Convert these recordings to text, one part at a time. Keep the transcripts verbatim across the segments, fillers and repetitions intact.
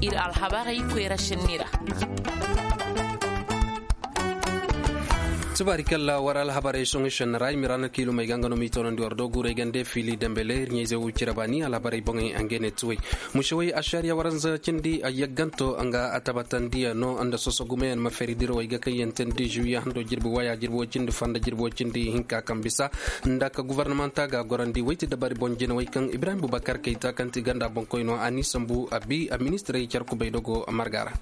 Iri alhabarey koyra senni ra. Tubaari kalla war alhabarey sohõ senni ra i ma ra na kiilumey ga nga no m'i toonandi war do guurey gande fiili dambele iri ɲayze wo cire baani alhabarey boŋey a nga ne tuwey. Musewey ašariya waranza cindi a yagganto nga a tabatandi yaŋ no nda soso gumeyaŋ ma feeri dirawey ga kaŋ yaŋ tandi žuwiya hando jirbi waya jirbi wo cindi fanda jirbi wo cindi hinka kaŋ bisa nda ka guvarnamanta ga gorandi wayti dabari boŋ jinawey kaŋ ibrahim bubakar kayta kaŋ ti ganda boŋkoy no a n'i sambu a bi a ministirey care kubay dogo marga ra.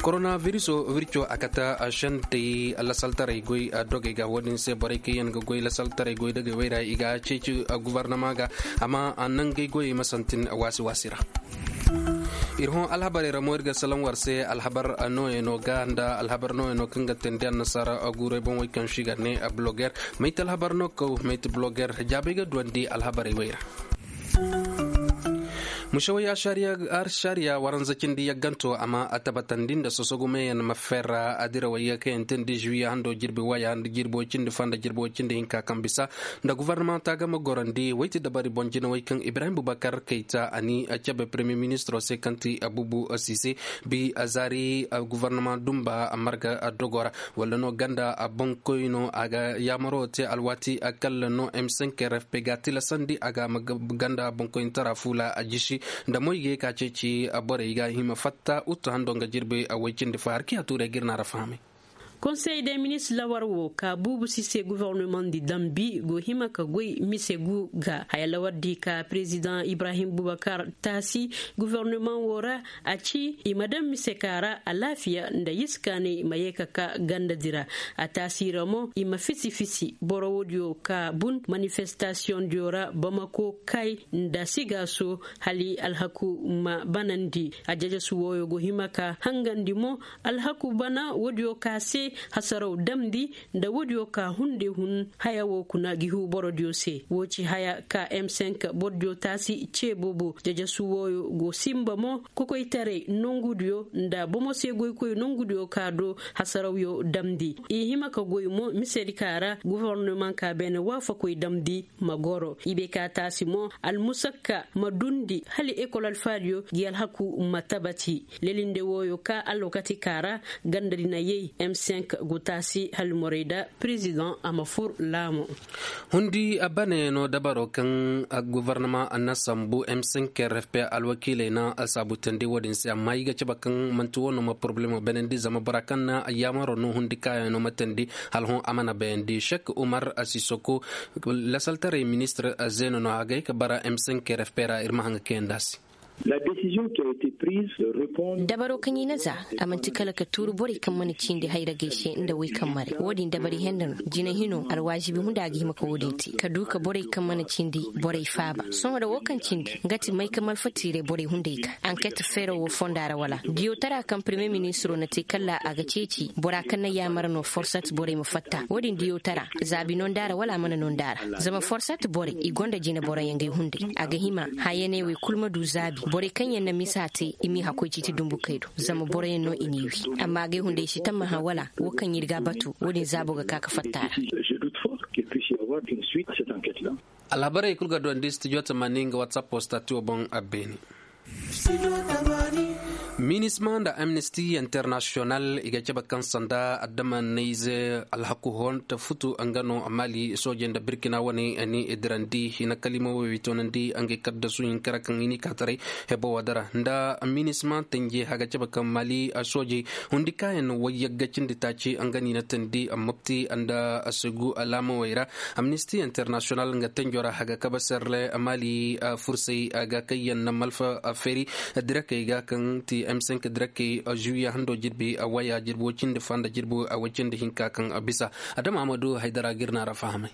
Koronaviruso wirco a kate sentey lasaltaray goy dogey ga wo- din se borey kaŋ yaŋ ga goy lasaltaray goy dogey wayra i ga ceeci guvarnama ga amma nangey goyey ma santin waasi waasi ra. Iri hõ alhabarey ra mo iri ga salaŋ war se alhabar nooyano ga nda alhabar nooyano kaŋ ga teendi annasaara guurey boŋ wey kaŋ se i ga ne bloger. Mayte alhabar no kaw mayte bloger jaabey ga duwandi alhabarey wey ra. Musawey ašariya waranza cindi yagganto a ma a tabatandi nda sosogumeyaŋ ma ferra a dira wayye kaŋ yaŋ te nda žuwiya hando jirbi waya nda jirbo cindi fanda jirbo cindi hinka kaŋ bisa nda guvarnamanta ga ma gorandi wayti dabari boŋ jinawey kaŋ ibrahim bubakar kayta a ni a cabe premier ministro se kaŋ ti abubu sise bi a zaari guvarnama dumba marga dogo ra wala no ganda a boŋkoy no a ga yaamaro te alwaati a kalla no m cinq r f p ga tilasandi a ga ganda boŋkoyni tara fuula a jisi nda moy ga ye ka ceeci borey ga hima fatta uttu hando nga jirbi a way cindi fa har kiya tuurey ga iri na ra fahamay. Konsey de ministre lawar wo ka buubu si se guvernement di dambi go hima ka goy mise gu ga haya lawar di ka president ibrahim bubakar taasi guvernement wo ra a ci i ma daŋ mise ka ra alaafiya nda yisi kaanay ma ye ka ka ganda dira a taasi ra mo i ma fisi fisi boro wo diyo ka bun manifestasiyoŋ diyo ra bamako kay nda sigaaso hala alhaku ma banandi a jajasu wooyo go hima ka hangandi mo alhaku bana woodiyo ka se hasaraw damndi nda woodiyo ka hunde hun haya wo kuna ga ihu borodiyo se wo ci haya ka m cinq borodiyo taasi ce boobo jajasu wooyo go simba mo kokoytaray nongudiyo nda bomo se goykoy nongudiyo ka do hasarawyo damndi i hima ka goy mo misedi ka ra gofornomanka beene waafakoy damndi ma goro i bay ka taasi mo almusakka ma dundi hala ekol alfaadiyo ga alhaku ma tabati lelinde wooyo ka alwakati ka ra ganda di na yay m cinq go taasi hala morey da president a ma fur laamo. Hundi bane no dabaro kaŋ gofornama na sambu m cinq r f p alwakiiley na saabu tandi wo- din se amma i ga cabe kaŋ manti wo no ma poroblemo beenandi zama bora kaŋ na yaamaro no hundi kaayaŋ no ma tandi hala hõ a mana bayandi sek umar sisoko lasaltaray ministir zeeno no a ga ye ka bara m cinq r f p ra iri ma haŋ ga kayandi a se. Dabaro kaŋ i na za a manti kala ka tuuru borey kaŋ mana cindi hayragey se nda way kaŋ maray wo- din dabari henda no jina hino alwaazibi hunda a ga hima ka wo- din te ka du ka borey kaŋ mana cindi borey faaba sohõ da wo kaŋ cindi nga ti may ka malfatiiray borey hunday ga anket feero wo fonda ra wala diyotara kaŋ premier ministro na te kala a ga ceeci bora kaŋ na yaamar no forsat borey ma fatta wo- din diyotara zaabi no nda ra wala a mana no nda ra zama forsat borey i gonda jine boroyaŋ gay hunday a ga hima hayaney wey kulu ma du zaabi borey kaŋ yaŋ na misa te i m'i hakkoy ciiti dumbukey do zama boroyaŋ no i n'i wi amma gay hunday si tammaha wala wo kaŋ iri ga a batu wo- din zaabo ga ka ka fatta a ra. Alhabarey kulu ga duwandi studio tamaani nga whatsapp postatiwo boŋ a beene. Minisma nda amnesty international i ga cabe kaŋ sanda adama nayze alhaku honta futu nga no mali soojey nda birkina wane ni i dirandi hina kalima wo i toonandi ngey kaddasu hinka ra kaŋ i n'i ka taray hebo wo dara nda minisma tanje a ga cabe kaŋ mali soojey hundi kaayaŋ wayyagga cindi taaci nga no i na tandi mopti nda segu alaamawey ra. Amnesty international nga tanjo ra haga kabe serle mali fursey ga kaŋ yaŋ na malfa feeri direkey ga kaŋ ti m cinq direkey juwiya hando jirbi waya jirbi way cindi fa nda jirbi way cindi hinka kaŋ bisa adama amadu haydara ga iri no a ra fahamay.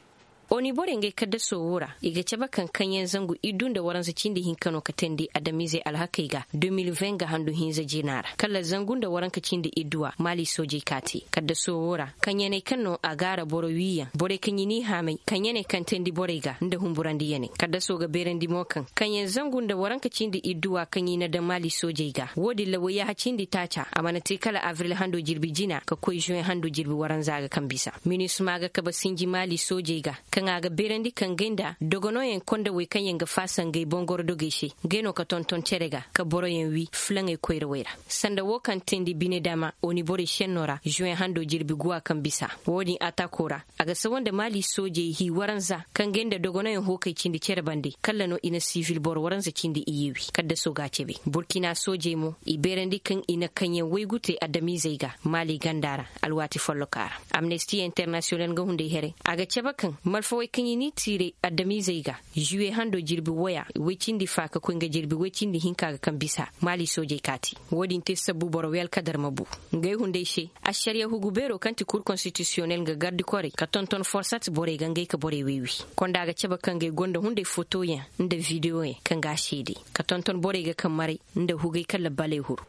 Oni borey ngey kaddaso wo ra i ga cabe kaŋ kaŋyaŋ zangu iddu nda waranza cindi hinka no ka teendi adamiizey alhakey ga deux mille vingt ga handu hinza jina ra kala zangu nda waranka cindi idduwa maali soojey ka te kaddaso wo ra kaŋyaŋey kaŋ no a gaara boro wiiyaŋ borey kaŋ i n'i haamay kaŋyaŋey kaŋ teendi borey ga nda humburandiyaŋey kaddaso ga beerandi mo kaŋ kaŋyaŋ zangu nda waranka cindi idduwa kaŋ i na daŋ maali soojey ga wo- din ra wayyaha cindi taaca a mana te kala abril hando jirbi jina ka koy juwen hando jirbi waranza ga kaŋ bisa minisma ga kabe sinji maali soojey ga kaŋ A ga beerandi ka ngey nda dogonooyaŋ konda wey kaŋ yaŋ ga faasa ngey bongoro dogey se, ngey no ka tonton cere ga ka boroyaŋ wi filaŋey koyrawey ra. Sanda wo kaŋ teendi bine dama oni borey senno ra juwen hando jirbi guwa kaŋ bisa. Wo-din atako ra, a ga sawa nda maali soojey hi waranza kaŋ ngey nda dogonooyaŋ hookey cindi cere bande kalla no i na siivil boro waranza cindi iyye wi kaddaso ga a cabe. Burkina soojey mo, i beerandi kaŋ i na kaŋyaŋ waygu te adamiizey ga maali ganda ra. Alwaati folloka ra, amnesti internasiyonal nga hunday here, a ga cabe kaŋ malfawey kaŋ i n'i tiiray adamiizey ga, juwe hando jirbi waya way cindi fa ka koy nga jirbi way cindi hinka ga kaŋ bisa maali soojey kaati. Wo-din te sabbu boro weel kadar ma bu. Ngey hunday se, ašariya hugu beero kaŋ ti kur konstitisiyonel nga gardi korey ka tonton forsat borey ga ngey ka borey waywi. Konda ga cabe kaŋ ngey gonda hunday fotoyaŋ nda videoyaŋ kaŋ ga a seede ka tonton borey ga kaŋ maray nda hugay kaŋ labbaley huru.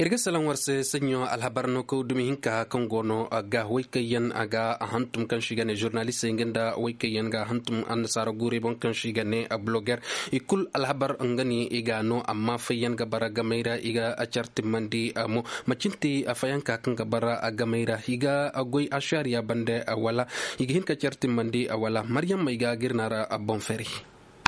Iri ga salaŋ war se saɲɲo alhabar no kaw dumi hinka kaŋ go no ga way kaŋ yaŋ a ga hantum kaŋ si ga ne zurnalistey nga nda way kaŋ yaŋ ga hantum annasaara guurey boŋ kaŋ si ga ne bloger. I kulu alhabar nga ni i ga no amma fayyaŋ ga bara gamey ra i ga care timmandi mo. Macin te a fayanka kaŋ ga bara a gamay ra i ga goy a shariya bande wala i ga hin ka care timmandi wala maryam may ga girna ra a boŋ fari.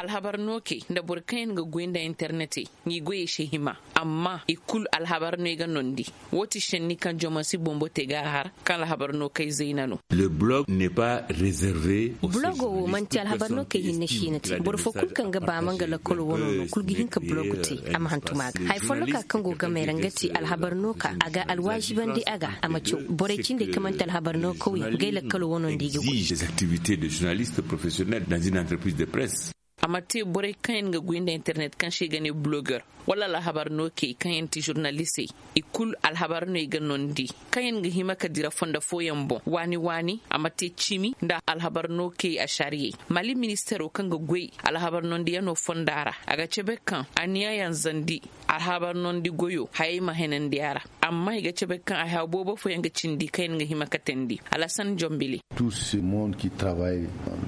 Alhabar no kay nda boro kaŋ yaŋ ga goy nda internet i ngi goyey se hima amma i kulu alhabar no i ga nondi. Wo ti senni kaŋ jomansi bombo te ga a har kaŋ alhabar no kay zayna no. Le blog n'est pas réservé. Blogo wo manti alhabar no kay hinne siina te boro fo kulu kaŋ ga ba ma nga lakkalo wano no kulu ga hin ka blogo te. A ma hantum a ga hari folloka kaŋ go gamey ra nga ti alhabar no ka a ga alwaazibandi a ga a ma caw borey cindey kaŋ manti alhabar no kawyaŋ ngey lakkalo wano nda i ga goy. Des activités de journaliste professionnel dans une entreprise de presse. A ma te borey kaŋ yaŋ ga goy nda internet kaŋ se i ga ne bloger wala alhabar no kay kaŋ yaŋ ti zurnalistey i kulu alhabar no i ga nondi kaŋ yaŋ ga hima ka dira fonda fooyaŋ boŋ waani waani a ma te cimi nda alhabar no kay a sariyey. Mali ministero kaŋ ga goy alhabar nondiyano fonda ra a ga cabe kaŋ aniyayaŋ zandi alhabar nondi goyo hayey ma henandi a ra. Amma i ga cabe kaŋ ay haw boobo fooyaŋ ga cindi kaŋ yaŋ ga hima ka teendi alasan jombili.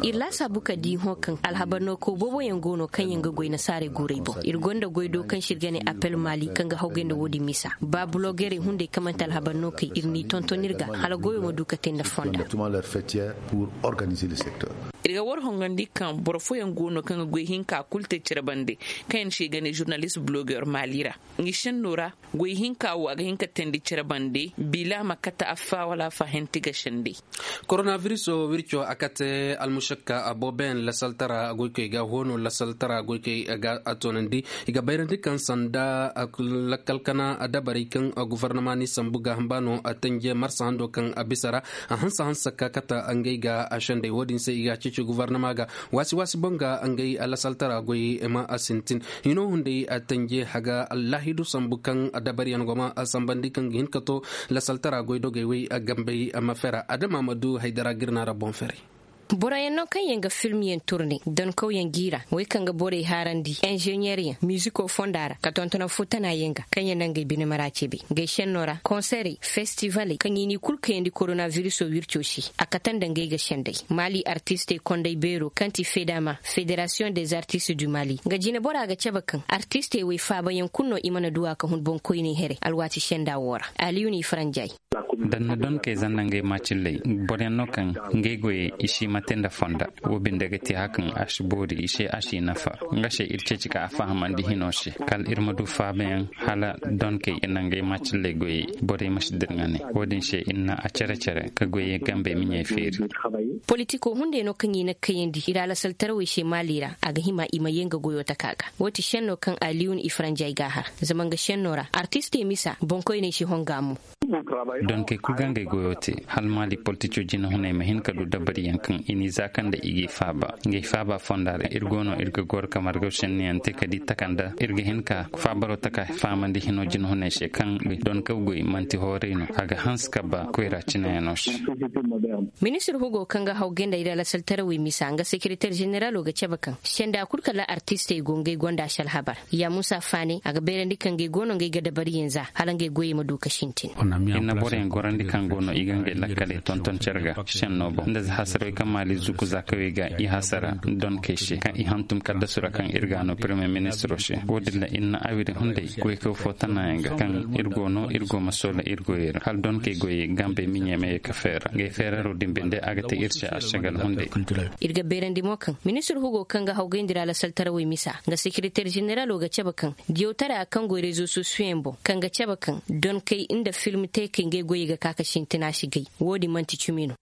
Iri laasaabu ka di hõ kaŋ alhabar no kaw boobo yaŋ go no kaŋ yaŋ ga goy nasaarey guurey boŋ iri gonda goy do kaŋ se iri ga ne appel mali kaŋ ga hawgay nda wo-din misa ba blogerey hunday kaŋ manti alhabar no kay iri n'i tonton iri ga hala goyo ma du ka te nda fonda. Iri ga war hongandi kaŋ boro fooyaŋ go no kaŋ ga goy hinka kulu te care bande kaŋ yaŋ se i ga ne zurnalist bloger mali ra. Ngi senno ra goy hinka wo a ga hin ka teendi care bande bila ma kate affa wala affa henti ga sendey. Koronabiriso wirco a kate almušakka a boobo yaŋ lasaltara goykey ga hoono lasaltara goykey ga a toonandi. I ga bayrandi kaŋ sanda lakkal kana dabarey kaŋ gufarnama ni sambu ga hamba no a tanje marsa hando kaŋ a bisa ra a hanse hanse ka kate ngey ga a sendey wo-din se i ga a ceeci gufarnama ga waasi waasi boŋ ga ngey lasaltara goy ma a sintin. Hino hunday a tanje haga allahidu sambu kaŋ a dabariyaŋ go ma a sambandi kaŋ ga hin ka to lasaltara goy dogey way a gambey a ma fera adama ma du haydara girna ra boŋ feray. Boroyaŋ no kaŋ yaŋ ga filmyaŋ turne donkawyaŋ jiira way kaŋ ga borey haarandi inženiyeryaŋ miziko fonda ra ka tontonaŋ fo tana yaŋ ga kaŋ yaŋ naŋ ga ay bine mara ceebe. Gay senno ra konserey festivaley kaŋ i n'i kulu kayandi koronabiriso wirco se a kate nda ngey ga sendey. Mali artistey kondey beero kaŋ ti fedama federasiyoŋ des artistes du mali nga jine bora ga cabe kaŋ artistey wo i faabayaŋ kulu no i mana du a ka hun boŋkoyney here alwaati senda wo ra. Aliyun i faranjay. Danna donkey zanna ngey macilley boroyaŋ no kaŋ ngey goyey i si ma te nda fonda. Wo binde ga ti hakaŋ a si boori i se a si nafa. Nga se iri ceeci ka a fahamandi hino se kala iri ma du faabayaŋ hala donkey i na ngey macilley goyey borey ma si dirŋa ne. Wo-din se iri na a care care ka goyey gambey ma ɲey feeri. Politiko hunday no kaŋ i na kayandi i ra lasaltarawey se maali ra a ga hima i ma ye nga goyo taka ga. Wo ti senno kaŋ aliyun i faranjay ga a har zama nga senno ra artistey misa boŋkoyney si honga mo. Donkey kulu ga ngey goyo te hala maali politico jinahuney ma hin ka du dabariyaŋ kaŋ i n'i zaaka nda i g'i faaba ngey faaba fonda ra iri go no iri ga goro ka margaw senniyaŋ te ka di takanda iri ga hin ka faabaro taka fahamandi hino jinahuney se kaŋ donkaw goy manti hooray no a ga hanse ka ba koyra cinayaŋo se. Ministir hugo kaŋ ga haw ganda iri alasaltarawey misa nga sekereter zeneralo ga cabe kaŋ senda kulu kala artistey go ngey gonda si alhabar ya musa faaney a ga beerandi kaŋ ngey go no ngey ga dabariyaŋ za hala ngey goyey ma du ka sintin. Iri na boroyaŋ gorandi kaŋ go no i ga ngey lakkaley tonton care ga senno boŋ nda za hasarey kaŋ Maali zuku za kawey ga i hasara donkey se kaŋ i hantum kaddasu ra kaŋ iri ga no premier ministro se. Wo- din ra iri na awiri hunday goykaw fo tanayaŋ ga kaŋ iri go no iri go ma soola iri goyey ra hala donkey goyey gambey ma ɲeemeyey ka feera ngey feeraro din binde a ga te iri se a sagal hunday. Iri ga beerandi mo kaŋ ministir hugo kaŋ ga hawgayndi ra lasaltarawey misa nga sekereteer zeneralo ga cabe kaŋ diyawtara kaŋ go rezo sosiyo yaŋ boŋ kaŋ ga cabe kaŋ donkey nda film teekey ngey goyey ga ka ka sintina si gay. Wo- din manti cumi no.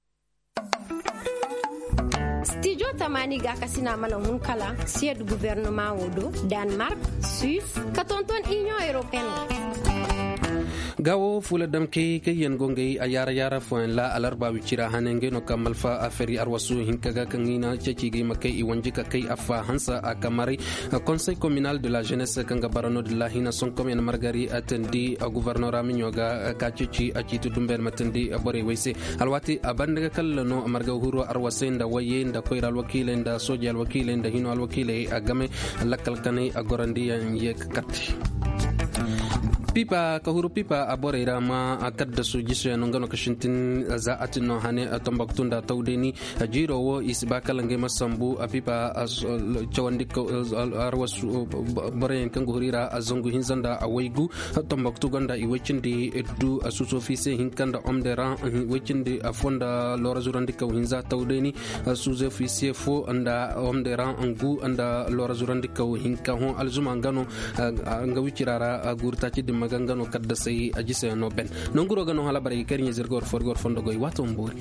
Stijo tamaani gaakasina mana hun kala siyed guvernama wo do, danmark, suis, ka tonton inion europeen. Gaawo fuula damkey kaŋ yaŋ go ngey a yaara yaara fooyaŋ ra alarba wicira hane ngey no ka malfa a fari arwasu hinka ga kaŋ i na ceeci ga i ma kay i wanji ka kay affa hansa a kamaray. Konsey kominal de la jeunesse kaŋ ga bara no din lahina sonkom yaŋ margari a tandi a guvernora miɲo ga ka ceeci a ciiti dumbe yaŋ ma tandi borey way se. Alwaati a banda ga kalla no marga huro arwasey nda wayey nda koyra alwakiiley nda sooji alwakiiley nda hino alwakiiley a game lakkal kanay a gorandi yaŋ ye ka karte. Pipa ka huru pipa a borey ra ma a kaddasu jiso yaŋ no nga no ka sintin za a tin no hane a tambaktu nda tawdeni. Jiiro wo i si ba kala ngey ma sambu a pipa cawandi arwasu boroyaŋ kaŋ ga huri ra a zangu hinza nda a waygu. Tambaktu gonda i way cindi du a suuso fiise hinka nda omderan way cindi afo nda loora zurandi kaw hinza tawdeni. Suuzo fiise fo nda omderan ngu nda loora zurandi kaw hinka hõ alzuma nga no nga wicira ra guuru taaci dimma ga nga no kaddasay a jisa yaŋ no ben. Nanguro ga no hala barey ga kay iri ɲa zirga war fo iri ga war fondo goy waato ma boori.